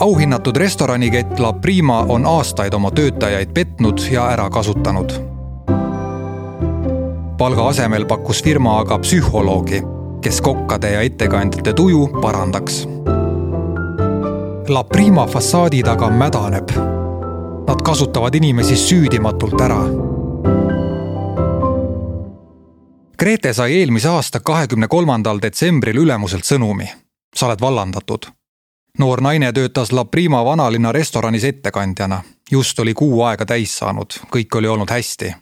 Auhinnatud restoranikett La Prima on aastaid oma töötajaid petnud ja ära kasutanud. Palga asemel pakkus firma aga psühholoogi, kes kokkade ja ettekandjate tuju parandaks. La Prima fassaadi taga mädaneb. Nad kasutavad inimesi süüdimatult ära. Grete sai eelmise aasta 23. detsembril ülemuselt sõnumi. Sa oled vallandatud. Noor naine töötas La Prima vanalinna restoranis ettekandjana. Just oli kuu aega täis saanud. Kõik oli olnud hästi.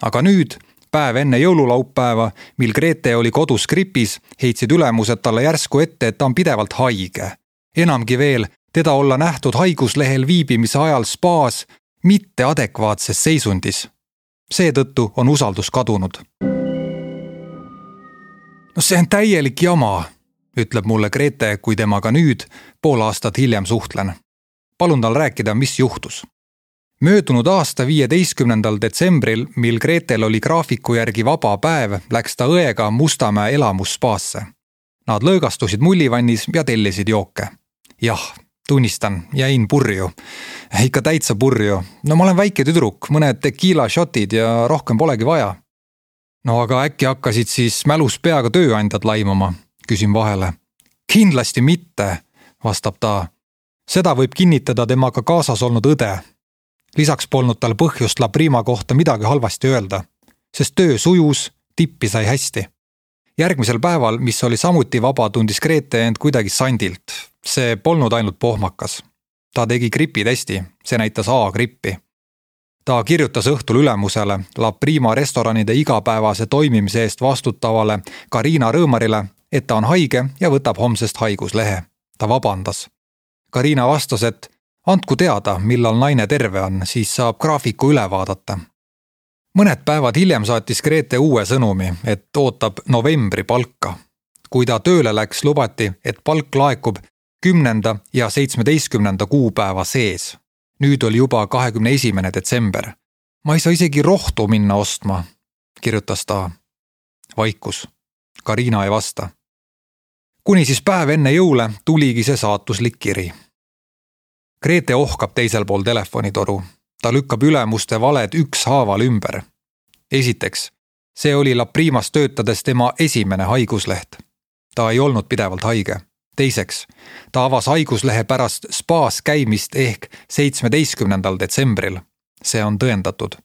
Aga nüüd, päev enne jõululaupäeva, mil Grete oli kodus gripis, heitsid ülemused talle järsku ette, et ta on pidevalt haige. Enamgi veel, teda olla nähtud haiguslehel viibimise ajal spaas mitte adekvaatses seisundis. Seetõttu on usaldus kadunud. No see on täielik jama, ütleb mulle Grete, kui temaga nüüd, pool aastat hiljem suhtlen. Palun tal rääkida, mis juhtus. Möödunud aasta 15. detsembril, mil Gretel oli graafiku järgi vaba päev, läks ta õega Mustamäe elamuspaasse. Nad lõõgastusid mullivannis ja tellisid jooke. Jah, tunnistan, jäin purju. Ikka täitsa purju. No ma olen väike tüdruk, mõned tequila shotid ja rohkem polegi vaja. No aga äkki hakkasid siis mälus peaga tööandjad laimama, küsin vahele. Kindlasti mitte, vastab ta. Seda võib kinnitada temaga kaasas olnud õde. Lisaks polnud tal põhjust La Prima kohta midagi halvasti öelda, sest töö sujus, tippi sai hästi. Järgmisel päeval, mis oli samuti vaba, tundis Grete end kuidagi sandilt. See polnud ainult pohmakas. Ta tegi gripitesti, see näitas A-grippi. Ta kirjutas õhtul ülemusele La Prima restoranide igapäevase toimimise eest vastutavale Karina Rõõmarile, et ta on haige ja võtab homsest haiguslehe. Ta vabandas. Karina vastas, et andku teada, millal naine terve on, siis saab graafiku üle vaadata. Mõned päevad hiljem saatis Grete uue sõnumi, et ootab novembri palka. Kui ta tööle läks, lubati, et palk laekub 10. ja 17. kuupäeva sees. Nüüd oli juba 21. detsember. Ma ei saa isegi rohtu minna ostma, kirjutas ta. Vaikus. Karina ei vasta. Kuni siis päev enne jõule tuligi see saatuslik kiri. Grete ohkab teisel pool telefonitoru. Ta lükkab ülemuste valed ükshaaval ümber. Esiteks, see oli La Primas töötades tema esimene haigusleht. Ta ei olnud pidevalt haige. Teiseks, ta avas haiguslehe pärast spaas käimist ehk 17. detsembril. See on tõendatud.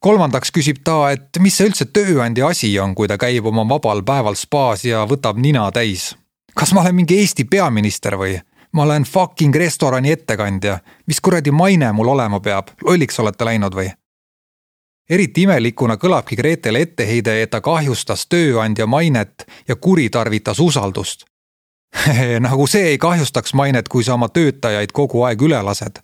Kolmandaks küsib ta, et mis see üldse tööandja asi on, kui ta käib oma vabal päeval spaas ja võtab nina täis. Kas ma olen mingi Eesti peaminister või? Ma olen fucking restorani ettekandja. Mis kuradi maine mul olema peab? Lolliks olete läinud või? Eriti imelikuna kõlabki Gretele etteheide, et ta kahjustas tööandja mainet ja kuritarvitas usaldust. Nagu see ei kahjustaks mainet, kui sa oma töötajaid kogu aeg üle lased.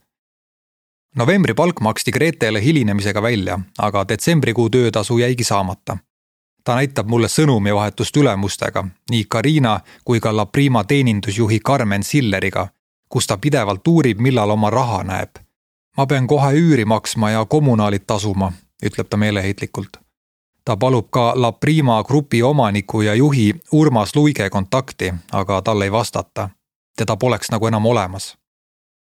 Novembri palk maksti Gretele hilinemisega välja, aga detsembrikuu töötasu jäigi saamata. Ta näitab mulle sõnumivahetust ülemustega, nii Karina kui ka La Prima teenindusjuhi Carmen Silleriga, kus ta pidevalt uurib, millal oma raha näeb. Ma pean kohe üüri maksma ja kommunaalid tasuma, ütleb ta meeleheitlikult. Ta palub ka La Prima grupi omaniku ja juhi Urmas Luige kontakti, aga talle ei vastata. Teda poleks nagu enam olemas.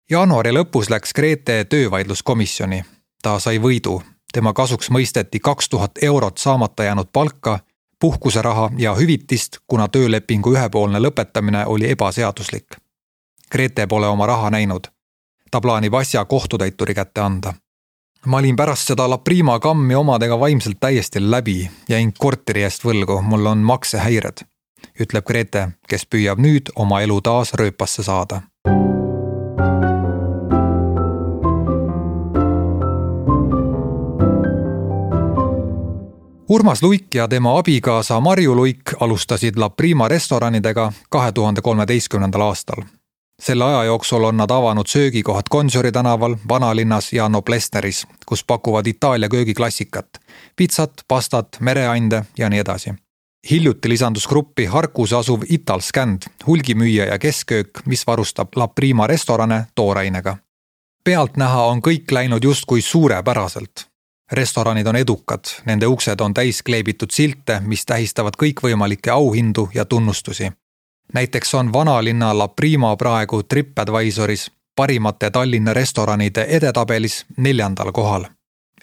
Jaanuari lõpus läks Grete töövaidluskomisjoni. Ta sai võidu. Tema kasuks mõisteti 2000 eurot saamata jäänud palka, puhkuseraha ja hüvitist, kuna töölepingu ühepoolne lõpetamine oli ebaseaduslik. Grete pole oma raha näinud. Ta plaanib asja kohtutäituri kätte anda. Ma olin pärast seda La Prima kammi omadega vaimselt täiesti läbi, jäin korteri eest võlgu, mul on maksehäired, ütleb Grete, kes püüab nüüd oma elu taas rööpasse saada. Urmas Luik ja tema abikaasa Marju Luik alustasid La Prima restoranidega 2013. aastal. Selle aja jooksul on nad avanud söögikohad Gonsiori tänaval, Vanalinnas ja Noblessneris, kus pakuvad Itaalia köögiklassikat, pitsat, pastat, mereande ja nii edasi. Hiljuti lisandus gruppi Harkus asuv Italscand, hulgimüüja ja keskköök, mis varustab La Prima restorane toorainega. Pealt näha on kõik läinud justkui suurepäraselt. Restoranid on edukad, nende uksed on täis kleebitud silte, mis tähistavad kõikvõimalikke auhindu ja tunnustusi. Näiteks on Vanalinna La Prima praegu TripAdvisoris, parimate Tallinna restoranide edetabelis 4. kohal.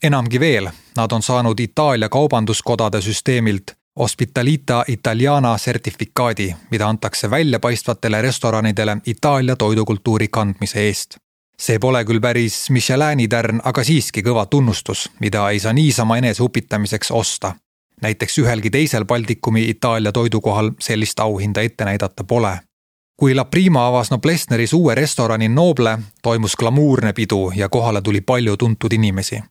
Enamgi veel, nad on saanud Itaalia kaubanduskodade süsteemilt Ospitalita Italiana sertifikaadi, mida antakse väljapaistvatele restoranidele Itaalia toidukultuuri kandmise eest. See pole küll päris Michelini tärn, aga siiski kõva tunnustus, mida ei saa niisama eneseupitamiseks osta. Näiteks ühelgi teisel Baltikumi Itaalia toidukohal sellist auhinda ette näidata pole. Kui La Prima avas Noblessneris uue restorani Noble, toimus glamuurne pidu ja kohale tuli palju tuntud inimesi.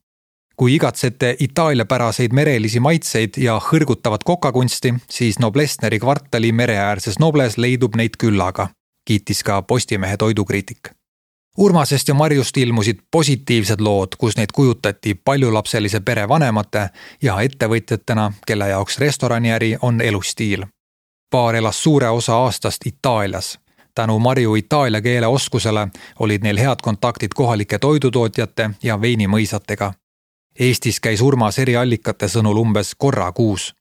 Kui igatsete itaaliapäraseid merelisi maitseid ja hõrgutavat kokakunsti, siis Noblessneri kvartali mereäärses Nobles leidub neid küllaga, kiitis ka Postimehe toidukriitik. Urmasest ja Marjust ilmusid positiivsed lood, kus neid kujutati paljulapselise pere vanemate ja ettevõtjatena, kelle jaoks restoraniäri on elustiil. Paar elas suure osa aastast Itaalias. Tänu Marju itaalia keele oskusele olid neil head kontaktid kohalike toidutootjate ja veinimõisatega. Eestis käis Urmas eri allikate sõnul umbes korra kuus.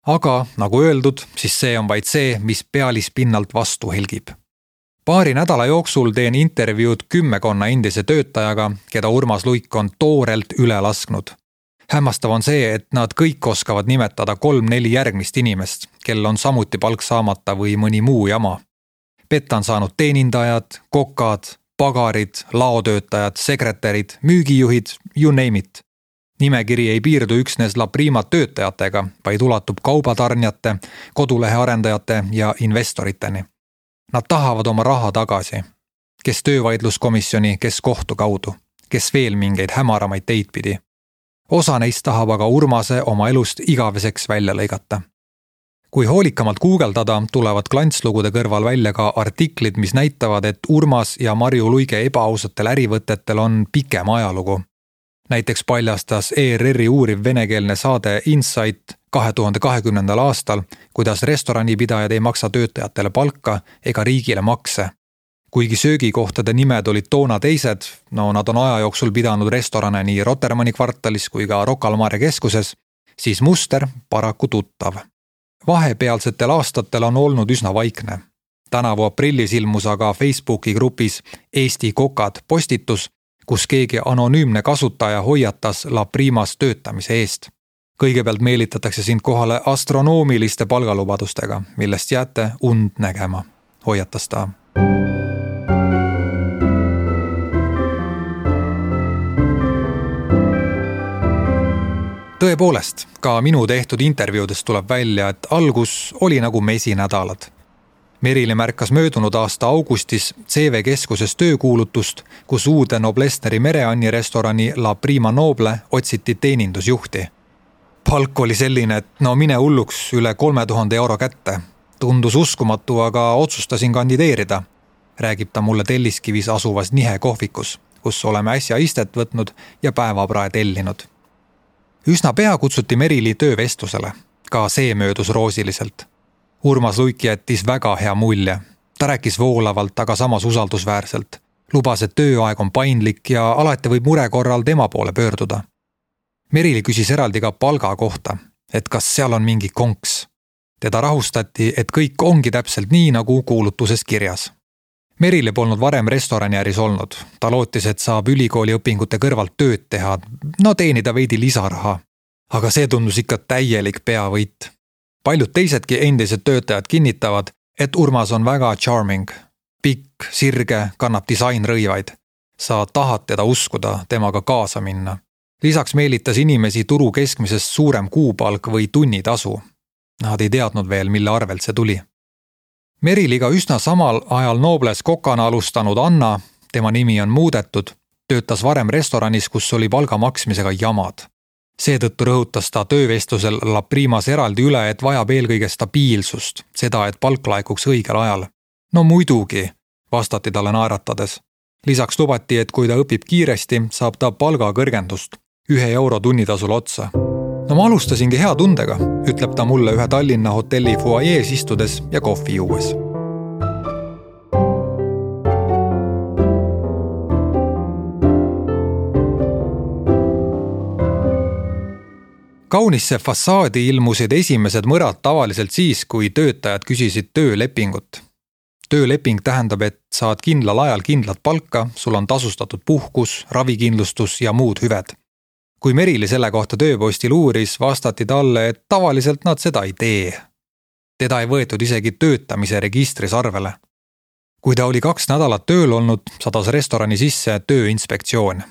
Aga, nagu öeldud, siis see on vaid see, mis pealispinnalt vastu helgib. Paari nädala jooksul teen intervjuud 10 endise töötajaga, keda Urmas Luik on toorelt üle lasknud. Hämmastav on see, et nad kõik oskavad nimetada 3-4 järgmist inimest, kel on samuti palk saamata või mõni muu jama. Petta on saanud teenindajad, kokad, pagarid, laotöötajad, sekretärid, müügijuhid, you name it. Nimekiri ei piirdu üksnes La Prima töötajatega, vaid ulatub kaubatarnjate, kodulehe arendajate ja investoriteni. Nad tahavad oma raha tagasi. Kes töövaidluskomisjoni, kes kohtu kaudu, kes veel mingeid hämaramaid teid pidi. Osa neist tahab aga Urmase oma elust igaveseks välja lõigata. Kui hoolikamalt guugeldada, tulevad klantslugude kõrval välja ka artiklid, mis näitavad, et Urmas ja Marju Luige ebaausatele ärivõtetel on pikem ajalugu. Näiteks paljastas ERR-i uuriv venekeelne saade Insight 2020. aastal, kuidas restoranipidajad ei maksa töötajatele palka ega riigile makse. Kuigi söögikohtade nimed olid toona teised, nad on aja jooksul pidanud restorane nii Rotermanni kvartalis kui ka Rocca al Mare keskuses, siis muster paraku tuttav. Vahepealsetel aastatel on olnud üsna vaikne. Tänavu aprillis ilmus aga Facebooki grupis Eesti kokad postitus, kus keegi anonüümne kasutaja hoiatas La Primas töötamise eest. Kõigepealt meelitatakse sind kohale astronoomiliste palgalubadustega, millest jääte und nägema, hoiatas ta. Tõepoolest, ka minu tehtud intervjuudest tuleb välja, et algus oli nagu mesinädalad. Merili märkas möödunud aasta augustis CV keskuses töökuulutust, kus uude Noblessneri mereanni restorani La Prima Noble otsiti teenindusjuhti. Palk oli selline, et mine hulluks üle 3000 euro kätte. Tundus uskumatu, aga otsustasin kandideerida, räägib ta mulle Telliskivis asuvas Nihe kohvikus, kus oleme äsja istet võtnud ja päevaprae tellinud. Üsna pea kutsuti Merili töövestlusele, ka see möödus roosiliselt. Urmas Luik jättis väga hea mulje. Ta rääkis voolavalt, aga samas usaldusväärselt. Lubas, et tööaeg on paindlik ja alati võib mure korral tema poole pöörduda. Merili küsis eraldi ka palga kohta, et kas seal on mingi konks. Teda rahustati, et kõik ongi täpselt nii, nagu kuulutuses kirjas. Merili polnud varem restoraniäris olnud. Ta lootis, et saab ülikooli õpingute kõrvalt tööd teha, teenida veidi lisaraha. Aga see tundus ikka täielik peavõit. Paljud teisedki endised töötajad kinnitavad, et Urmas on väga charming. Pikk, sirge, kannab disainrõivaid. Sa tahad teda uskuda, temaga kaasa minna. Lisaks meelitas inimesi turu keskmisest suurem kuupalk või tunnitasu. Nad ei teadnud veel, mille arvelt see tuli. Meriliga üsna samal ajal Nobles kokana alustanud Anna, tema nimi on muudetud, töötas varem restoranis, kus oli palga maksmisega jamad. Seetõttu rõhutas ta töövestlusel La Primas eraldi üle, et vajab eelkõige stabiilsust, seda, et palk laekuks õigel ajal. Muidugi, vastati talle naeratades. Lisaks lubati, et kui ta õpib kiiresti, saab ta palga kõrgendust, 1 euro tunnitasul otsa. Ma alustasingi hea tundega, ütleb ta mulle ühe Tallinna hotelli fuajees istudes ja kohvi juues. Kaunisse fassaadi ilmusid esimesed mõrad tavaliselt siis, kui töötajad küsisid töölepingut. tööleping tähendab, et saad kindlal ajal kindlat palka, sul on tasustatud puhkus, ravikindlustus ja muud hüved. Kui Merili selle kohta tööpostil uuris, vastati talle, et tavaliselt nad seda ei tee. Teda ei võetud isegi töötamise registris arvele. Kui ta oli 2 nädalat tööl olnud, sadas restorani sisse tööinspektsioon.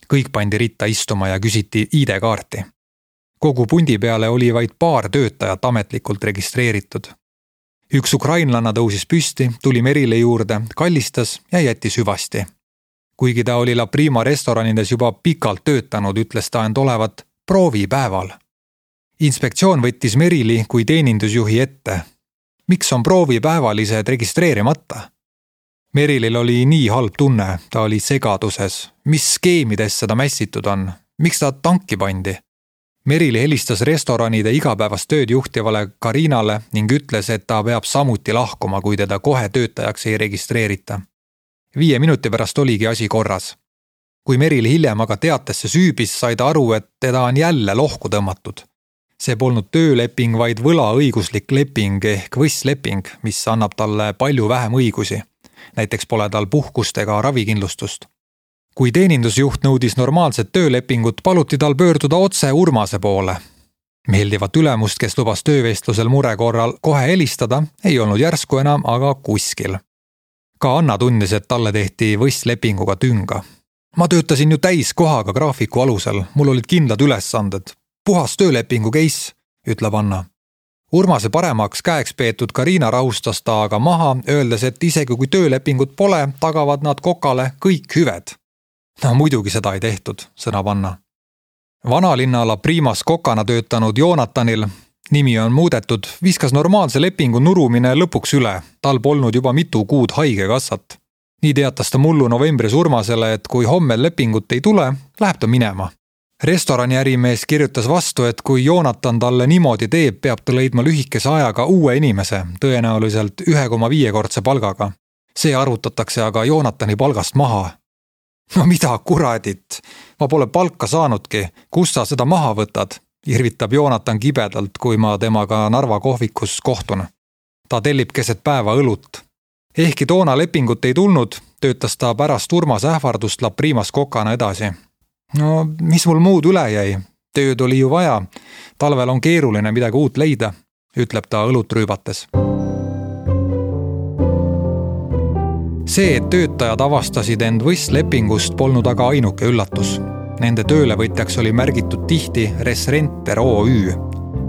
Kõik pandi ritta istuma ja küsiti ID-kaarti. Kogu pundi peale oli vaid paar töötajat ametlikult registreeritud. Üks ukrainlanna tõusis püsti, tuli Merile juurde, kallistas ja jättis hüvasti. Kuigi ta oli La Prima restoranides juba pikalt töötanud, ütles ta end olevat proovipäeval. Inspektsioon võttis Merili kui teenindusjuhi ette. Miks on proovipäevalised registreerimata? Merilil oli nii halb tunne, ta oli segaduses. Mis skeemides seda mässitud on? Miks ta tanki pandi? Merili helistas restoranide igapäevast tööd juhtivale Karinale ning ütles, et ta peab samuti lahkuma, kui teda kohe töötajaks ei registreerita. 5 minuti pärast oligi asi korras. Kui Merili hiljem aga teatesse süübis, sai ta aru, et teda on jälle lohku tõmmatud. See polnud tööleping, vaid võlaõiguslik leping ehk võssleping, mis annab talle palju vähem õigusi. Näiteks pole tal puhkust ega ravikindlustust. Kui teenindusjuht nõudis normaalset töölepingut, paluti tal pöörduda otse Urmase poole. Meeldivat ülemust, kes lubas töövestlusel mure korral kohe helistada, ei olnud järsku enam aga kuskil. Ka Anna tundis, et talle tehti võsslepinguga tünga. Ma töötasin ju täiskohaga graafiku alusel, mul olid kindlad ülesanded. Puhas töölepingu case, ütleb Anna. Urmase paremaks käeks peetud Karina rahustas ta aga maha, öeldes, et isegi kui töölepingut pole, tagavad nad Kokale kõik hüved. No muidugi seda ei tehtud, sõnab Anna. Vanalinna La Primas Kokana töötanud Joonatanil, nimi on muudetud, viskas normaalse lepingu nurumine lõpuks üle. Tal polnud juba mitu kuud haigekassat. Nii teatas ta mullu novembris Urmasele, et kui homme lepingut ei tule, läheb ta minema. Restorani ärimees kirjutas vastu, et kui Joonatan talle niimoodi teeb, peab ta leidma lühikese ajaga uue inimese, tõenäoliselt 1,5-kordse palgaga. See arvutatakse aga Joonatani palgast maha. No mida kuradit? Ma pole palka saanudki. Kus sa seda maha võtad? Irvitab Joonatan kibedalt, kui ma temaga Narva kohvikus kohtun. Ta tellib keset päeva õlut. Ehkki toona lepingut ei tulnud, töötas ta pärast Urmase ähvardust La Primas Kokana edasi. No, mis mul muud üle jäi? Tööd oli ju vaja. Talvel on keeruline midagi uut leida, ütleb ta õlut rüübates. See, et töötajad avastasid end võsslepingust, polnud aga ainuke üllatus. Nende töölevõtjaks oli märgitud tihti Resrenter OÜ,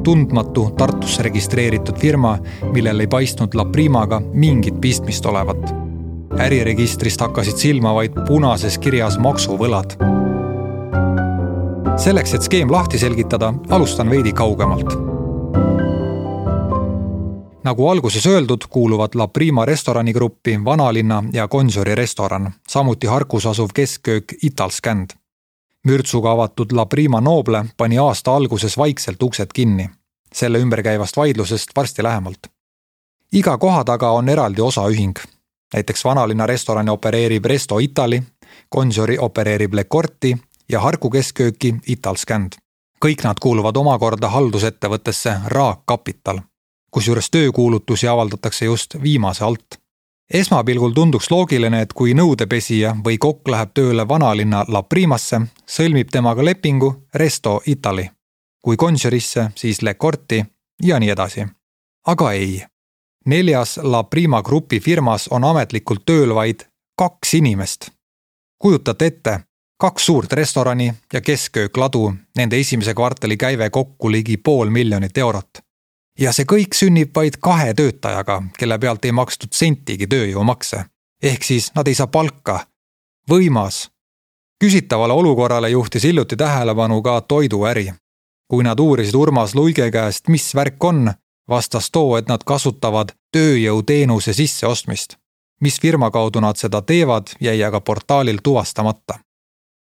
tundmatu Tartusse registreeritud firma, millel ei paistnud La Primaga mingit pistmist olevat. Äriregistrist hakkasid silma vaid punases kirjas maksuvõlad. Selleks, et skeem lahti selgitada, alustan veidi kaugemalt. Nagu alguses öeldud, kuuluvad La Prima restoranigruppi Vanalinna ja Gonsiori restoran, samuti Harkus asuv keskköök Italskänd. Mürtsuga avatud La Prima Noble pani aasta alguses vaikselt uksed kinni. Selle ümberkäivast vaidlusest varsti lähemalt. Iga koha taga on eraldi osaühing. Näiteks Vanalinna restorani opereerib Resto Itali, Gonsiori opereerib Le Corti ja Harku keskkööki Italskänd. Kõik nad kuuluvad omakorda haldusettevõttesse Raak Kapital, kusjuures töökuulutusi avaldatakse just viimase alt. Esmapilgul tunduks loogiline, et kui nõudepesija või kokk läheb tööle Vanalinna La Primasse, sõlmib temaga lepingu Resto Itali. Kui Gonsiorisse, siis Le Corti ja nii edasi. Aga ei. 4. La Prima grupi firmas on ametlikult tööl vaid 2 inimest. Kujutate ette, 2 suurt restorani ja keskköök ladu, nende esimese kvartali käive kokku ligi 500 000 eurot. Ja see kõik sünnib vaid 2 töötajaga, kelle pealt ei makstud sentigi tööjõumakse. Ehk siis nad ei saa palka. Võimas. Küsitavale olukorrale juhtis hiljuti tähelepanu ka toiduäri. Kui nad uurisid Urmas Luige käest, mis värk on, vastas too, et nad kasutavad tööjõuteenuse sisseostmist. Mis firma kaudu nad seda teevad, jäi aga portaalil tuvastamata.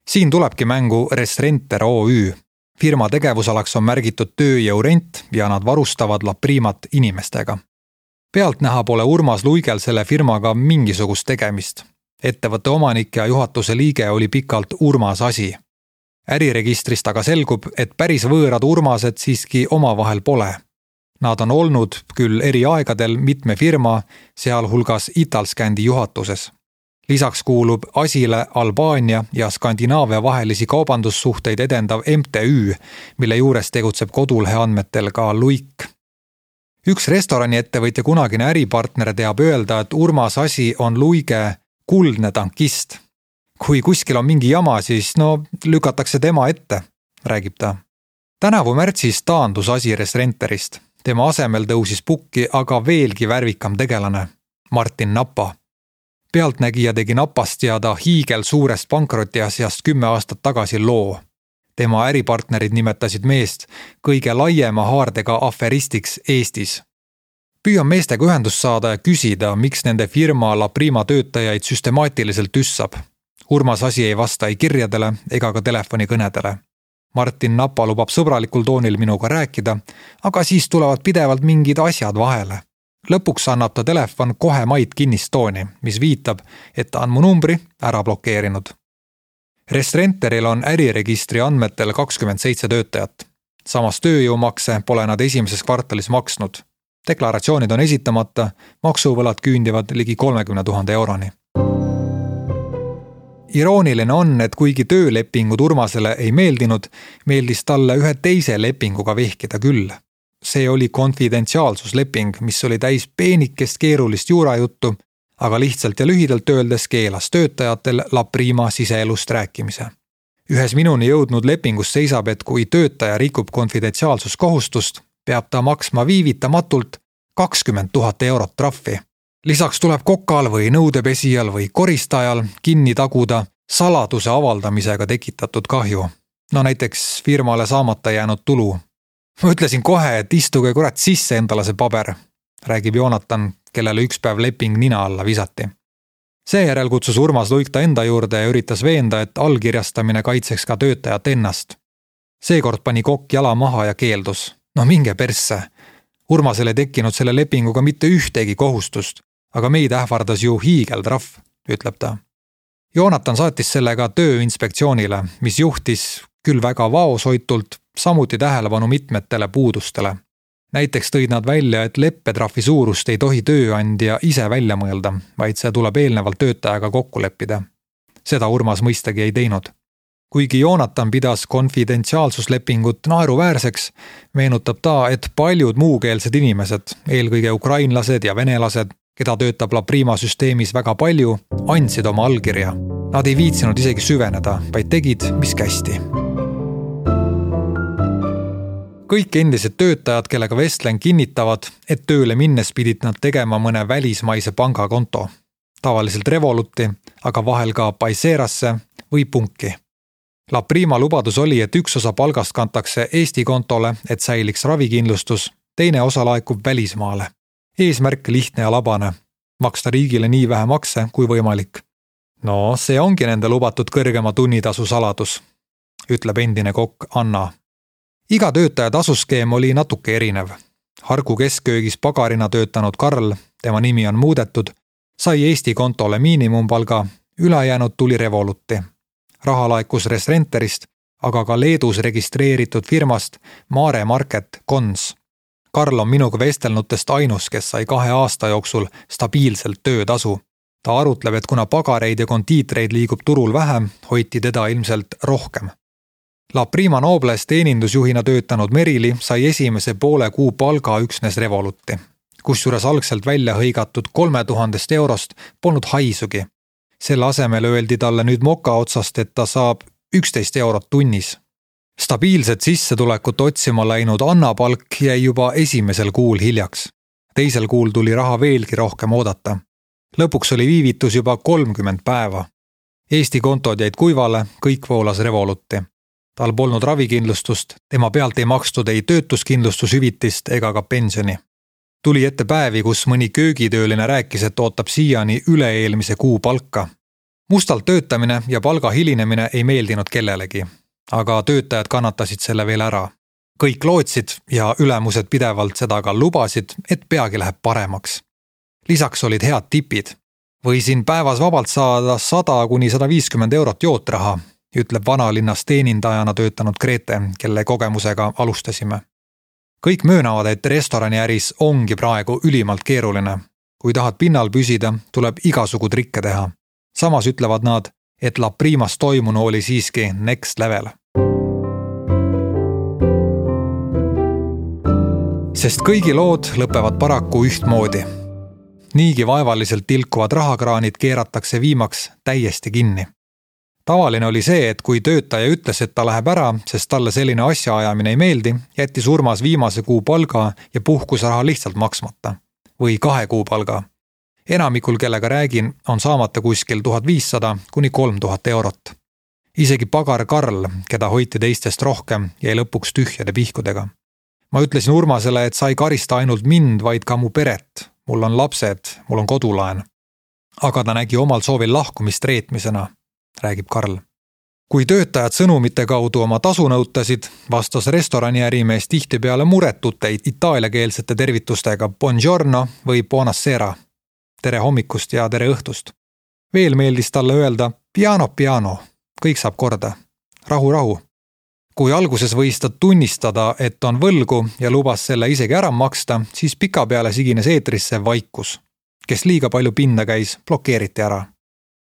Siin tulebki mängu Resrenter OÜ. Firma tegevusalaks on märgitud tööjõurent ja nad varustavad La Primat inimestega. Pealtnäha pole Urmas Luigel selle firmaga mingisugust tegemist. Ettevõtte omanik ja juhatuse liige oli pikalt Urmas Asi. Äriregistrist aga selgub, et päris võõrad Urmased siiski omavahel pole. Nad on olnud küll eri aegadel mitme firma, sealhulgas Italscandi juhatuses. Lisaks kuulub Asile Albaania ja Skandinaavia vahelisi kaubandussuhteid edendav MTÜ, mille juures tegutseb kodulehe andmetel ka Luik. Üks restoraniettevõtja kunagine äripartner teab öelda, et Urmas Asi on Luige kuldne tankist. Kui kuskil on mingi jama, siis lükatakse tema ette, räägib ta. Tänavu märtsis taandus Asi Restrenterist. Tema asemel tõusis pukki aga veelgi värvikam tegelane, Martin Napa. Pealtnägija tegi Napast ja ta hiigel suurest pankrotiasjast 10 aastat tagasi loo. Tema äripartnerid nimetasid meest kõige laiema haardega aferistiks Eestis. Püüan meestega ühendust saada ja küsida, miks nende firma La Prima töötajaid süstemaatiliselt tüssab. Urmas Asi ei vasta ei kirjadele ega ka telefonikõnedele. Martin Napa lubab sõbralikul toonil minuga rääkida, aga siis tulevad pidevalt mingid asjad vahele. Lõpuks annab ta telefon kohe maid kinnistooni, mis viitab, et ta on mu numbri ära blokeerinud. Restrenteril on äriregistri andmetel 27 töötajat. Samas tööjõumakse pole nad esimeses kvartalis maksnud. Deklaratsioonid on esitamata, maksuvõlad küündivad ligi 30 000 euroni. Irooniline on, et kuigi töölepingud Urmasele ei meeldinud, meeldis talle ühe teise lepinguga vehkida küll. See oli konfidentsiaalsusleping, mis oli täis peenikest keerulist juurajuttu, aga lihtsalt ja lühidalt öeldes keelas töötajatel La Prima siseelust rääkimise. Ühes minuni jõudnud lepingus seisab, et kui töötaja rikub konfidentsiaalsuskohustust, peab ta maksma viivitamatult 20 000 eurot trahvi. Lisaks tuleb kokal või nõudepesijal või koristajal kinni taguda saladuse avaldamisega tekitatud kahju. Näiteks firmale saamata jäänud tulu. Ma ütlesin kohe, et istuge kurat sisse endale see paber, räägib Joonatan, kellele üks päev leping nina alla visati. Seejärel kutsus Urmas Luik ta enda juurde ja üritas veenda, et allkirjastamine kaitseks ka töötajat ennast. Seekord pani kokk jala maha ja keeldus. Minge persse. Urmasel ei tekkinud selle lepinguga mitte ühtegi kohustust, aga meid ähvardas ju hiigeltrahv, ütleb ta. Joonatan saatis sellega tööinspektsioonile, mis juhtis küll väga vaoshoitult, samuti tähelepanu mitmetele puudustele. Näiteks tõid nad välja, et leppetrahvi suurust ei tohi tööandja ise välja mõelda, vaid see tuleb eelnevalt töötajaga kokku leppida. Seda Urmas mõistagi ei teinud. Kuigi Joonatan pidas konfidentsiaalsuslepingut naeruväärseks, meenutab ta, et paljud muukeelsed inimesed, eelkõige ukrainlased ja venelased, keda töötab La Prima süsteemis väga palju, andsid oma allkirja. Nad ei viitsinud isegi süveneda, vaid tegid, mis kästi. Kõik endised töötajad, kellega vestlen, kinnitavad, et tööle minnes pidid nad tegema mõne välismaise pangakonto. Tavaliselt Revoluti, aga vahel ka Paiserasse või Punki. La Prima lubadus oli, et üks osa palgast kantakse Eesti kontole, et säiliks ravikindlustus, teine osa laekub välismaale. Eesmärk lihtne ja labane, maksta riigile nii vähe makse kui võimalik. See ongi nende lubatud kõrgema tunnitasu saladus, ütleb endine kokk Anna. Iga töötaja tasuskeem oli natuke erinev. Harku keskköögis pagarina töötanud Karl, tema nimi on muudetud, sai Eesti kontole miinimumpalga, ülejäänud tuli Revoluti. Raha laekus Restrenterist, aga ka Leedus registreeritud firmast Mare Market Cons. Karl on minuga vestelnutest ainus, kes sai 2 aasta jooksul stabiilselt töötasu. Ta arutleb, et kuna pagareid ja kondiitreid liigub turul vähem, hoiti teda ilmselt rohkem. La Prima Nobles teenindusjuhina töötanud Merili sai esimese poole kuu palga üksnes Revoluti, kusjuures algselt välja hõigatud 3000 eurost polnud haisugi. Selle asemel öeldi talle nüüd moka otsast, et ta saab 11 eurot tunnis. Stabiilset sissetulekut otsima läinud Anna palk jäi juba esimesel kuul hiljaks. Teisel kuul tuli raha veelgi rohkem oodata. Lõpuks oli viivitus juba 30 päeva. Eesti kontod jäid kuivale, kõik voolas Revoluti. Tal polnud ravikindlustust, tema pealt ei makstud ei töötuskindlustushüvitist ega ka pensioni. Tuli ette päevi, kus mõni köögitööline rääkis, et ootab siiani üle-eelmise kuu palka. Mustalt töötamine ja palga hilinemine ei meeldinud kellelegi, aga töötajad kannatasid selle veel ära. Kõik lootsid ja ülemused pidevalt seda ka lubasid, et peagi läheb paremaks. Lisaks olid head tipid. Võisin päevas vabalt saada 100–150 eurot jootraha, ütleb vanalinnas teenindajana töötanud Grete, kelle kogemusega alustasime. Kõik möönavad, et restoraniäris ongi praegu ülimalt keeruline. Kui tahad pinnal püsida, tuleb igasugu trikke teha. Samas ütlevad nad, et La Primas toimunu oli siiski next level. Sest kõigi lood lõpevad paraku ühtmoodi. Niigi vaevaliselt tilkuvad rahakraanid keeratakse viimaks täiesti kinni. Tavaline oli see, et kui töötaja ütles, et ta läheb ära, sest talle selline asjaajamine ei meeldi, jättis Urmas viimase kuu palga ja puhkusraha lihtsalt maksmata. Või 2 kuu palga. Enamikul, kellega räägin, on saamata kuskil 1500 kuni 3000 eurot. Isegi pagar Karl, keda hoiti teistest rohkem, jäi lõpuks tühjade pihkudega. Ma ütlesin Urmasele, et sa ei karista ainult mind, vaid ka mu peret. Mul on lapsed, mul on kodulaen. Aga ta nägi omal soovil lahkumist reetmisena, räägib Karl. Kui töötajad sõnumite kaudu oma tasu nõutasid, vastas restorani ärimees tihtipeale muretute itaaliakeelsete tervitustega buongiorno või buonasera. Tere hommikust ja tere õhtust. Veel meeldis talle öelda piano, kõik saab korda. Rahu. Kui alguses võis ta tunnistada, et on võlgu ja lubas selle isegi ära maksta, siis pikapeale sigines eetrisse vaikus. Kes liiga palju pinda käis, blokeeriti ära.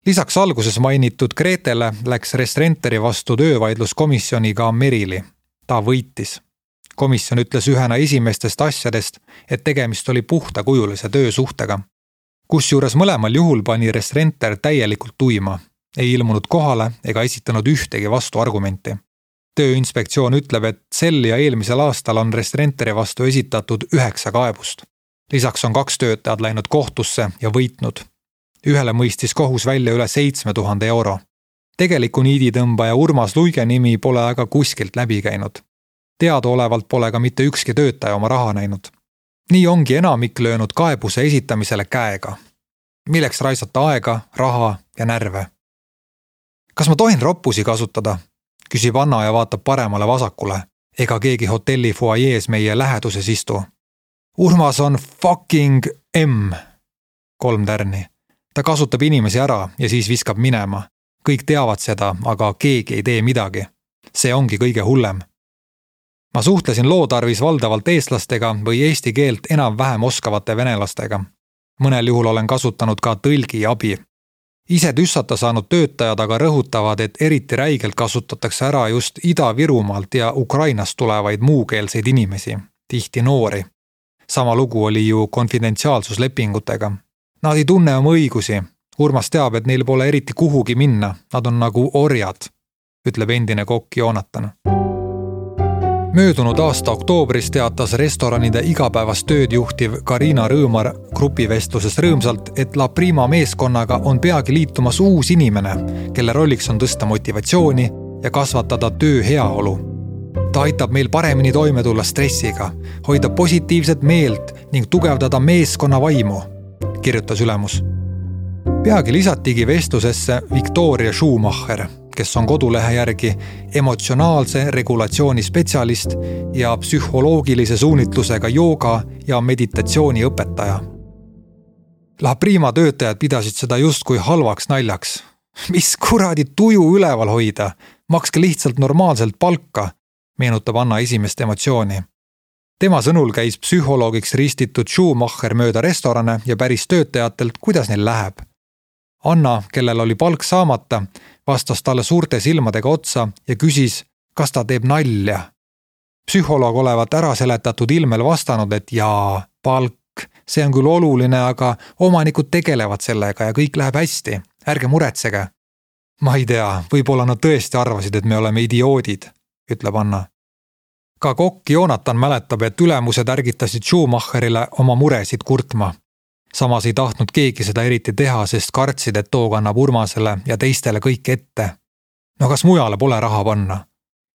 Lisaks alguses mainitud Gretele läks Restrenteri vastu töövaidluskomisjoniga Merili. Ta võitis. Komisjon ütles ühena esimestest asjadest, et tegemist oli puhtakujulise töösuhtega. Kusjuures mõlemal juhul pani Restrenter täielikult tuima. Ei ilmunud kohale ega esitanud ühtegi vastuargumenti. Tööinspektsioon ütleb, et sel ja eelmisel aastal on Restrenteri vastu esitatud 9 kaebust. Lisaks on 2 töötajad läinud kohtusse ja võitnud. Ühele mõistis kohus välja üle 7000 euro. Tegeliku niiditõmbaja Urmas Luige nimi pole aga kuskilt läbi käinud. Teadaolevalt pole ka mitte ükski töötaja oma raha näinud. Nii ongi enamik löönud kaebuse esitamisele käega. Milleks raisata aega, raha ja närve? Kas ma tohin roppusi kasutada? Küsib Anna ja vaatab paremale vasakule. Ega keegi hotelli fuajees meie läheduses istu. Urmas on fucking M. 3 tärni. Ta kasutab inimesi ära ja siis viskab minema. Kõik teavad seda, aga keegi ei tee midagi. See ongi kõige hullem. Ma suhtlesin lootarvis valdavalt eestlastega või eesti keelt enam-vähem oskavate venelastega. Mõnel juhul olen kasutanud ka tõlgi abi. Ise tüssata saanud töötajad aga rõhutavad, et eriti räigelt kasutatakse ära just Ida-Virumaalt ja Ukrainast tulevaid muukeelseid inimesi, tihti noori. Sama lugu oli ju konfidentsiaalsuslepingutega. Nad ei tunne oma õigusi. Urmas teab, et neil pole eriti kuhugi minna. Nad on nagu orjad, ütleb endine kokk Joonatan. Möödunud aasta oktoobris teatas restoranide igapäevast tööd juhtiv Karina Rõõmar grupivestluses rõõmsalt, et La Prima meeskonnaga on peagi liitumas uus inimene, kelle rolliks on tõsta motivatsiooni ja kasvatada töö heaolu. Ta aitab meil paremini toime tulla stressiga, hoida positiivset meelt ning tugevdada meeskonna vaimu, kirjutas ülemus. Peagi lisatigi vestlusesse Victoria Schumacher, kes on kodulehe järgi emotsionaalse regulatsiooni spetsialist ja psühholoogilise suunitlusega jooga ja meditatsiooni õpetaja. La Prima töötajad pidasid seda justkui halvaks naljaks. Mis kuradi tuju üleval hoida? Makske lihtsalt normaalselt palka, meenutab Anna esimest emotsiooni. Tema sõnul käis psühholoogiks ristitud Schumacher mööda restorane ja päris töötajatelt, kuidas neil läheb. Anna, kellel oli palk saamata, vastas talle suurte silmadega otsa ja küsis, kas ta teeb nalja. Psühholoog olevat ära seletatud ilmel vastanud, et jaa, palk, see on küll oluline, aga omanikud tegelevad sellega ja kõik läheb hästi. Ärge muretsege. Ma ei tea, võib-olla nad tõesti arvasid, et me oleme idioodid, ütleb Anna. Ka kokk Joonatan mäletab, et ülemused ärgitasid Schumacherile oma muresid kurtma. Samas ei tahtnud keegi seda eriti teha, sest kartsid, et too kannab Urmasele ja teistele kõik ette. No kas mujale pole raha panna?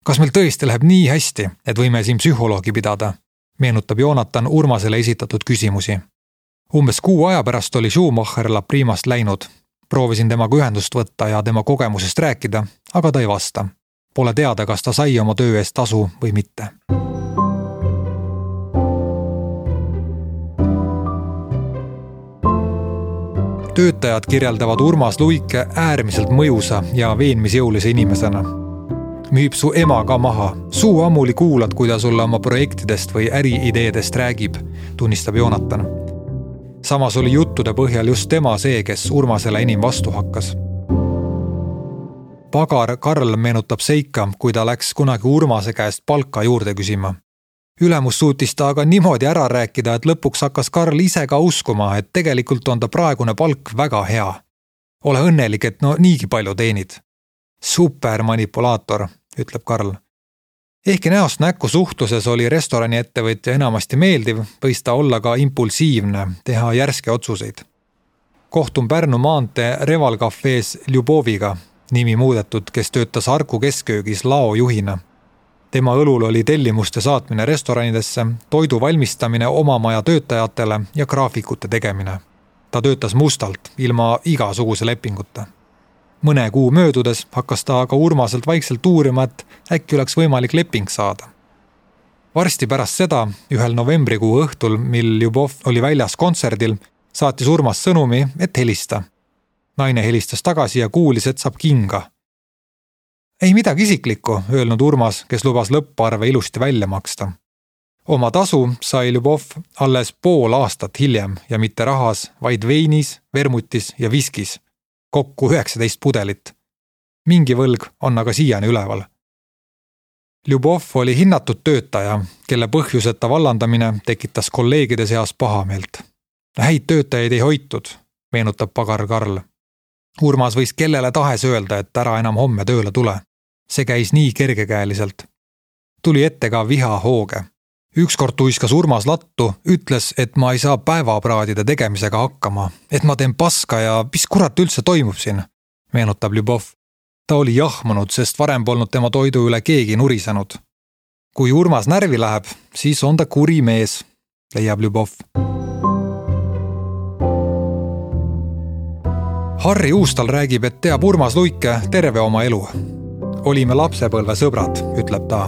Kas meil tõesti läheb nii hästi, et võime siin psühholoogi pidada? Meenutab Joonatan Urmasele esitatud küsimusi. Umbes 6 aja pärast oli Schumacher La Primast läinud. Proovisin temaga ühendust võtta ja tema kogemusest rääkida, aga ta ei vasta. Pole teada, kas ta sai oma töö eest tasu või mitte. Töötajad kirjeldavad Urmas Luike äärmiselt mõjusa ja veenmisjõulise inimesena. müüb su ema ka maha. Suu ammuli kuulad, kui ta sulle oma projektidest või äriideedest räägib, tunnistab Joonatan. Samas oli juttude põhjal just tema see, kes Urmasele enim vastu hakkas. Pagar Karl meenutab seika, kui ta läks kunagi Urmase käest palka juurde küsima. Ülemus suutis ta aga niimoodi ära rääkida, et lõpuks hakkas Karl ise ka uskuma, et tegelikult on ta praegune palk väga hea. Ole õnnelik, et niigi palju teenid. Super manipulaator, ütleb Karl. Ehkki näost näkku suhtluses oli restorani ettevõtja enamasti meeldiv, võis ta olla ka impulsiivne, teha järske otsuseid. Kohtun Pärnu maantee Reval Cafees Ljuboviga, nimi muudetud, kes töötas Harku keskköögis laojuhina. Tema õlul oli tellimuste saatmine restoranidesse, toidu valmistamine oma maja töötajatele ja graafikute tegemine. Ta töötas mustalt, ilma igasuguse lepinguta. Mõne kuu möödudes hakkas ta aga Urmaselt vaikselt uurima, et äkki oleks võimalik leping saada. Varsti pärast seda, ühel novembrikuu õhtul, mil Ljubov oli väljas kontserdil, saatis Urmas sõnumi, et helista. Naine helistas tagasi ja kuulis, et saab kinga. Ei midagi isiklikku, öelnud Urmas, kes lubas lõpparve ilusti välja maksta. Oma tasu sai Ljubov alles pool aastat hiljem ja mitte rahas, vaid veinis, vermutis ja viskis. Kokku 19 pudelit. Mingi võlg on aga siiani üleval. Ljubov oli hinnatud töötaja, kelle põhjuseta vallandamine tekitas kolleegide seas pahameelt. Häid töötajaid ei hoitud, meenutab Pagar Karl. Urmas võis kellele tahes öelda, et ära enam homme tööle tule. See käis nii kergekäeliselt. Tuli ette ka viha hooge. Ükskord tuiskas Urmas lattu, ütles, et ma ei saa päevapraadide tegemisega hakkama, et ma teen paska ja mis kurat üldse toimub siin, meenutab Ljubov. Ta oli jahmunud, sest varem polnud tema toidu üle keegi nurisenud. Kui Urmas närvi läheb, siis on ta kuri mees, leiab Ljubov. Harri Uustal räägib, et teab Urmas Luike terve oma elu. Olime lapsepõlve sõbrad, ütleb ta.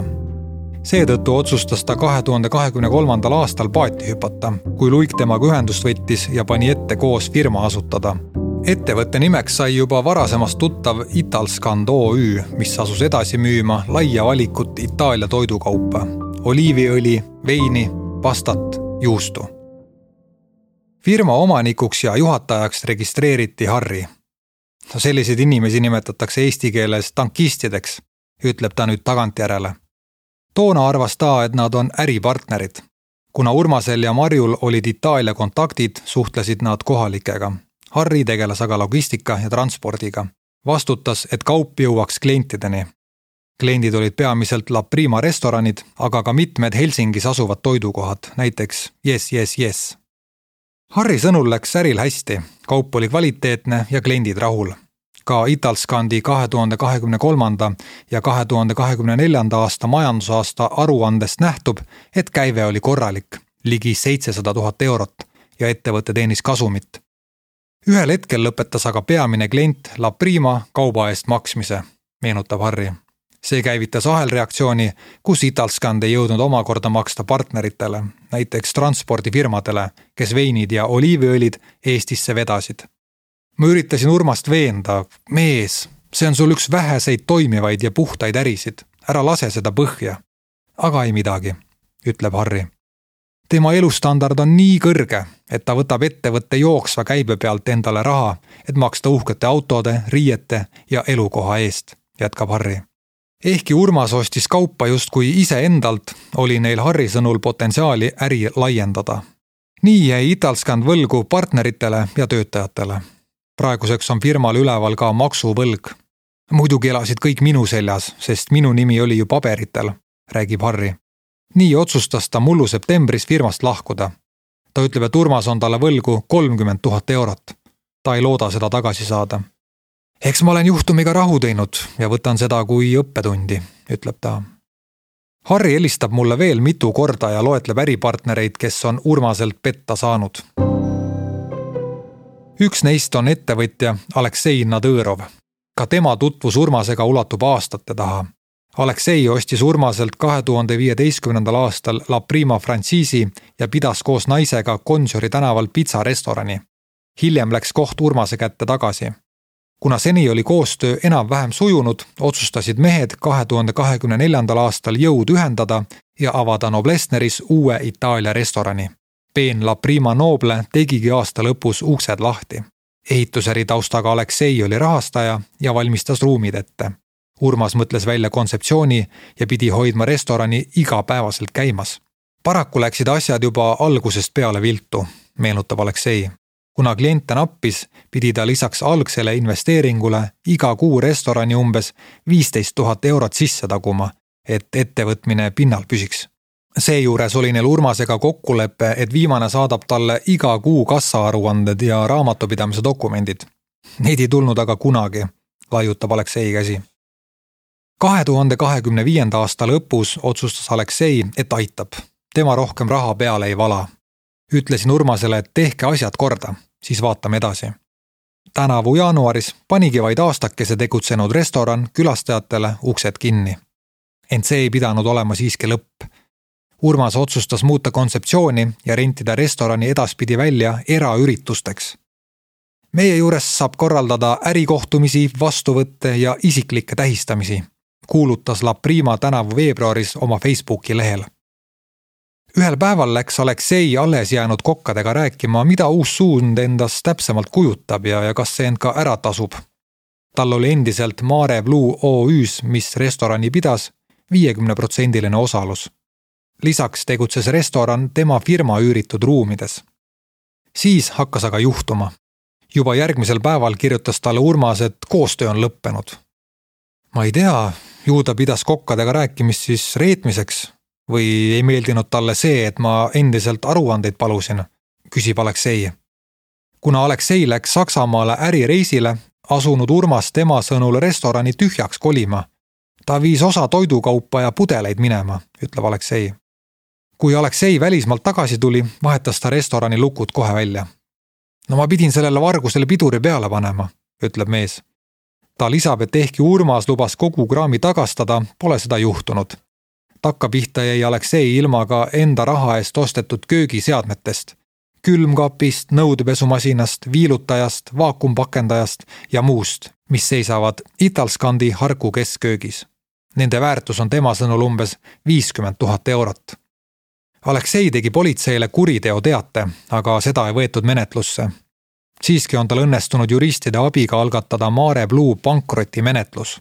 Seetõttu otsustas ta 2023. aastal paati hüpata, kui Luik temaga ühendust võttis ja pani ette koos firma asutada. Ettevõtte nimeks sai juba varasemast tuttav Italskand OÜ, mis asus edasi müüma laia valikut Itaalia toidukaupa. Oliiviõli, veini, pastat, juustu. Firma omanikuks ja juhatajaks registreeriti Harri. Selliseid inimesi nimetatakse eesti keeles tankistideks, ütleb ta nüüd tagantjärele. Toona arvas ta, et nad on äripartnerid. Kuna Urmasel ja Marjul olid Itaalia kontaktid, suhtlesid nad kohalikega. Harri tegeles aga logistika ja transpordiga. Vastutas, et kaup jõuaks klientideni. Kliendid olid peamiselt La Prima restoranid, aga ka mitmed Helsingis asuvad toidukohad, näiteks Yes. Harri sõnul läks äril hästi, kaup oli kvaliteetne ja kliendid rahul. Ka Italskandi 2023. ja 2024. aasta majandusaasta aruandest nähtub, et käive oli korralik, ligi 700 000 eurot ja ettevõte teenis kasumit. Ühel hetkel lõpetas aga peamine klient La Prima kauba eest maksmise, meenutab Harri. See käivitas ahelreaktsiooni, kus Italskand ei jõudnud omakorda maksta partneritele, näiteks transpordifirmadele, kes veinid ja oliiviõlid Eestisse vedasid. Ma üritasin Urmast veenda, mees, see on sul üks väheseid toimivaid ja puhtaid ärisid, ära lase seda põhja. Aga ei midagi, ütleb Harri. Tema elustandard on nii kõrge, et ta võtab ettevõtte jooksva käibe pealt endale raha, et maksta uhkete autode, riiete ja elukoha eest, jätkab Harri. Ehkki Urmas ostis kaupa justkui ise endalt, oli neil Harri sõnul potentsiaali äri laiendada. Nii jäi Italskand võlgu partneritele ja töötajatele. Praeguseks on firmal üleval ka maksuvõlg. Muidugi elasid kõik minu seljas, sest minu nimi oli ju paberitel, räägib Harri. Nii otsustas ta mullu septembris firmast lahkuda. Ta ütleb, et Urmas on talle võlgu 30 000 eurot. Ta ei looda seda tagasi saada. Eks ma olen juhtumiga rahu teinud ja võtan seda kui õppetundi, ütleb ta. Harri helistab mulle veel mitu korda ja loetleb äripartnereid, kes on Urmaselt petta saanud. Üks neist on ettevõtja Aleksei Nadõrov. Ka tema tutvus Urmasega ulatub aastate taha. Aleksei ostis Urmaselt 2015. aastal La Prima frantsiisi ja pidas koos naisega Gonsiori tänaval pitsarestorani. Hiljem läks koht Urmase kätte tagasi. Kuna seni oli koostöö enam-vähem sujunud, otsustasid mehed 2024. aastal jõud ühendada ja avada Noblessneris uue Itaalia restorani. Peen La Prima Noble tegigi aasta lõpus uksed lahti. Ehitusäri taustaga Aleksei oli rahastaja ja valmistas ruumid ette. Urmas mõtles välja kontseptsiooni ja pidi hoidma restorani igapäevaselt käimas. Paraku läksid asjad juba algusest peale viltu, meenutab Aleksei. Kuna kliente nappis, pidi ta lisaks algsele investeeringule iga kuu restorani umbes 15 000 eurot sisse taguma, et ettevõtmine pinnal püsiks. Seejuures oli neil Urmasega kokkulepe, et viimane saadab talle iga kuu kassaaruanded ja raamatupidamise dokumendid. Neid ei tulnud aga kunagi, laiutab Aleksei käsi. 2025. aasta lõpus otsustas Aleksei, et aitab. Tema rohkem raha peale ei vala. Ütlesin Urmasele, et tehke asjad korda, siis vaatame edasi. Tänavu jaanuaris panigi vaid aastakese tegutsenud restoran külastajatele uksed kinni. Ent see ei pidanud olema siiski lõpp. Urmas otsustas muuta kontseptsiooni ja rentida restorani edaspidi välja eraüritusteks. Meie juures saab korraldada ärikohtumisi, vastuvõtte ja isiklikke tähistamisi, kuulutas La Prima tänavu veebruaris oma Facebooki lehel. Ühel päeval läks Aleksei alles jäänud kokkadega rääkima, mida uus suund endast täpsemalt kujutab ja kas see end ka ära tasub. Tal oli endiselt Mare Blue OÜs, mis restorani pidas, 50% osalus. Lisaks tegutses restoran tema firma üüritud ruumides. Siis hakkas aga juhtuma. Juba järgmisel päeval kirjutas talle Urmas, et koostöö on lõppenud. Ma ei tea, ju ta pidas kokkadega rääkimist siis reetmiseks või ei meeldinud talle see, et ma endiselt aruandeid palusin, küsib Aleksei. Kuna Aleksei läks Saksamaale ärireisile, asunud Urmas tema sõnul restorani tühjaks kolima. Ta viis osa toidukaupa ja pudeleid minema, ütleb Aleksei. Kui Aleksei välismaalt tagasi tuli, vahetas ta restorani lukud kohe välja. No ma pidin sellele vargusele piduri peale panema, ütleb mees. Ta lisab, et ehkki Urmas lubas kogu kraami tagastada, pole seda juhtunud. Takkapihta jäi Aleksei ilma ka enda raha eest ostetud köögiseadmetest. Külmkapist, nõudepesumasinast, viilutajast, vaakumpakendajast ja muust, mis seisavad Italskandi Harku keskköögis. Nende väärtus on tema sõnul umbes 50 000 eurot. Aleksei tegi politseile kuriteoteate, aga seda ei võetud menetlusse. Siiski on tal õnnestunud juristide abiga algatada Mare Blue pankrotimenetlus.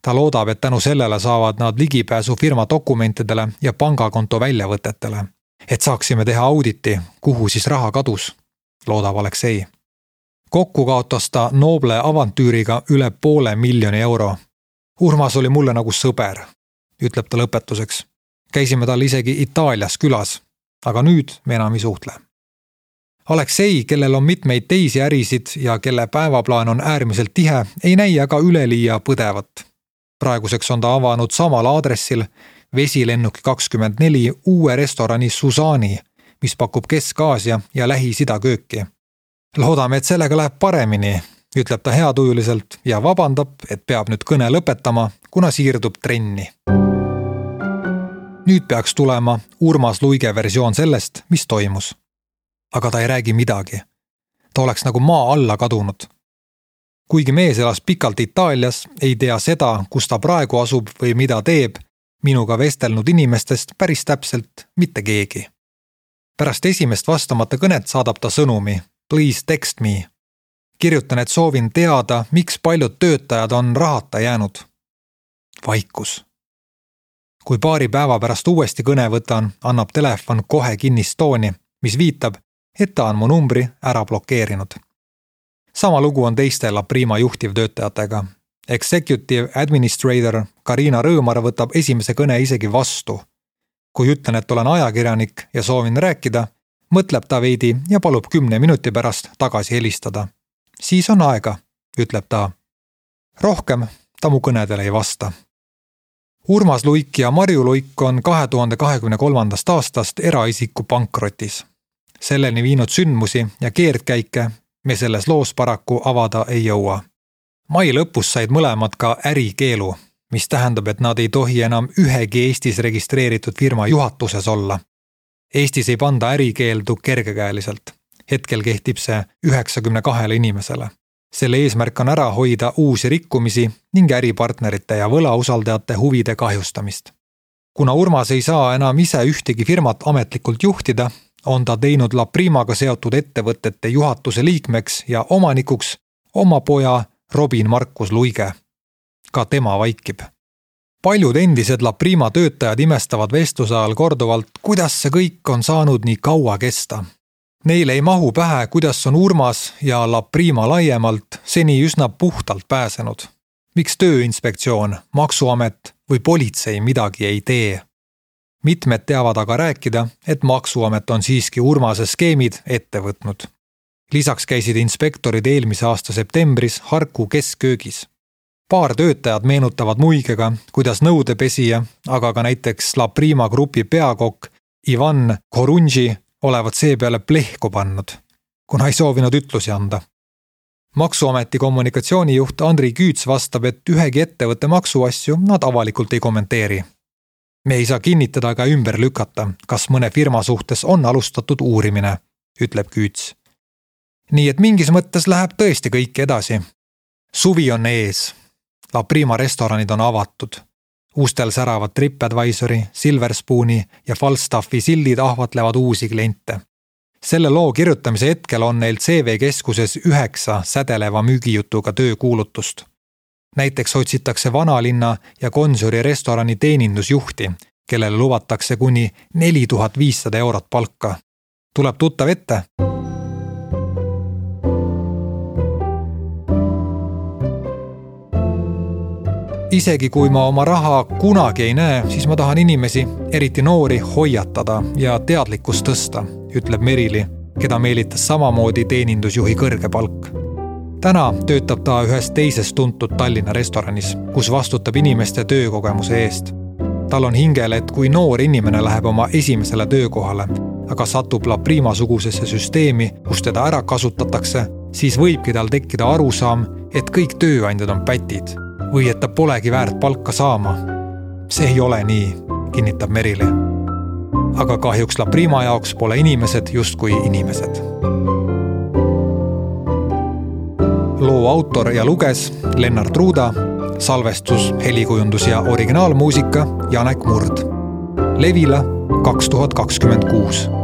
Ta loodab, et tänu sellele saavad nad ligipääsu firma dokumentidele ja pangakonto väljavõtetele, et saaksime teha auditi, kuhu siis raha kadus, loodab Aleksei. Kokku kaotas ta Noble avantüüriga üle 500 000 euro. Urmas oli mulle nagu sõber, ütleb ta lõpetuseks. Käisime tal isegi Itaalias külas, aga nüüd me enam ei suhtle. Aleksei, kellel on mitmeid teisi ärisid ja kelle päevaplaan on äärmiselt tihe, ei näi aga üleliia põdevat. Praeguseks on ta avanud samal aadressil Vesilennuki 24 uue restorani Susani, mis pakub Kesk-Aasia ja Lähis-Ida kööki. Loodame, et sellega läheb paremini, ütleb ta heatujuliselt ja vabandab, et peab nüüd kõne lõpetama, kuna siirdub trenni. Nüüd peaks tulema Urmas Luige versioon sellest, mis toimus. Aga ta ei räägi midagi. Ta oleks nagu maa alla kadunud. Kuigi mees elas pikalt Itaalias, ei tea seda, kus ta praegu asub või mida teeb, minuga vestelnud inimestest päris täpselt mitte keegi. Pärast esimest vastamata kõnet saadab ta sõnumi Please text me. Kirjutan, et soovin teada, miks paljud töötajad on rahata jäänud. Vaikus. Kui paari päeva pärast uuesti kõne võtan, annab telefon kohe kinnist tooni, mis viitab, et ta on mu numbri ära blokeerinud. Sama lugu on teiste La Prima juhtivtöötajatega. Executive Administrator Karina Rõõmar võtab esimese kõne isegi vastu. Kui ütlen, et olen ajakirjanik ja soovin rääkida, mõtleb ta veidi ja palub 10 minuti pärast tagasi helistada. Siis on aega, ütleb ta. Rohkem ta mu kõnedele ei vasta. Urmas Luik ja Marju Luik on 2023. aastast eraisiku pankrotis. Selleni viinud sündmusi ja keerdkäike me selles loos paraku avada ei jõua. Mai lõpus said mõlemad ka ärikeelu, mis tähendab, et nad ei tohi enam ühegi Eestis registreeritud firma juhatuses olla. Eestis ei panda ärikeeldu kergekäeliselt. Hetkel kehtib see 92 inimesele. Selle eesmärk on ära hoida uusi rikkumisi ning äripartnerite ja võlausaldajate huvide kahjustamist. Kuna Urmas ei saa enam ise ühtegi firmat ametlikult juhtida, on ta teinud La Primaga seotud ettevõtete juhatuse liikmeks ja omanikuks oma poja Robin Markus Luige. Ka tema vaikib. Paljud endised La Prima töötajad imestavad vestluse ajal korduvalt, kuidas see kõik on saanud nii kaua kesta. Neile ei mahu pähe, kuidas on Urmas ja La Prima laiemalt seni üsna puhtalt pääsenud. Miks Tööinspektsioon, Maksuamet või politsei midagi ei tee? Mitmed teavad aga rääkida, et Maksuamet on siiski Urmase skeemid ette võtnud. Lisaks käisid inspektorid eelmise aasta septembris Harku keskköögis. Paar töötajad meenutavad muigega, kuidas nõudepesija, aga ka näiteks La Prima grupi peakokk Ivan Korunži olevat seepeale plehku pannud, kuna ei soovinud ütlusi anda. Maksuameti kommunikatsioonijuht Andri Küüts vastab, et ühegi ettevõtte maksuasju nad avalikult ei kommenteeri. Me ei saa kinnitada ega ümber lükata, kas mõne firma suhtes on alustatud uurimine, ütleb Küüts. Nii et mingis mõttes läheb tõesti kõik edasi. Suvi on ees. La Prima restoranid on avatud. Uustel säravad TripAdvisori, Silver Spooni ja Falstaffi sildid ahvatlevad uusi kliente. Selle loo kirjutamise hetkel on neil CV keskuses 9 sädeleva müügijutuga töökuulutust. Näiteks otsitakse Vanalinna ja Gonsiori restorani teenindusjuhti, kellele luvatakse kuni 4500 eurot palka. Tuleb tuttav ette? Isegi kui ma oma raha kunagi ei näe, siis ma tahan inimesi, eriti noori, hoiatada ja teadlikkust tõsta, ütleb Merili, keda meelitas samamoodi teenindusjuhi kõrge palk. Täna töötab ta ühes teises tuntud Tallinna restoranis, kus vastutab inimeste töökogemuse eest. Tal on hingel, et kui noor inimene läheb oma esimesele töökohale, aga satub La Prima sugusesse süsteemi, kus teda ära kasutatakse, siis võibki tal tekkida arusaam, et kõik tööandjad on pätid või et ta polegi väärt palka saama. See ei ole nii, kinnitab Merili. Aga kahjuks La Prima jaoks pole inimesed justkui inimesed. Loo autor ja luges Lennart Ruuda, salvestus, helikujundus ja originaalmuusika Janek Murd. Levila 2026.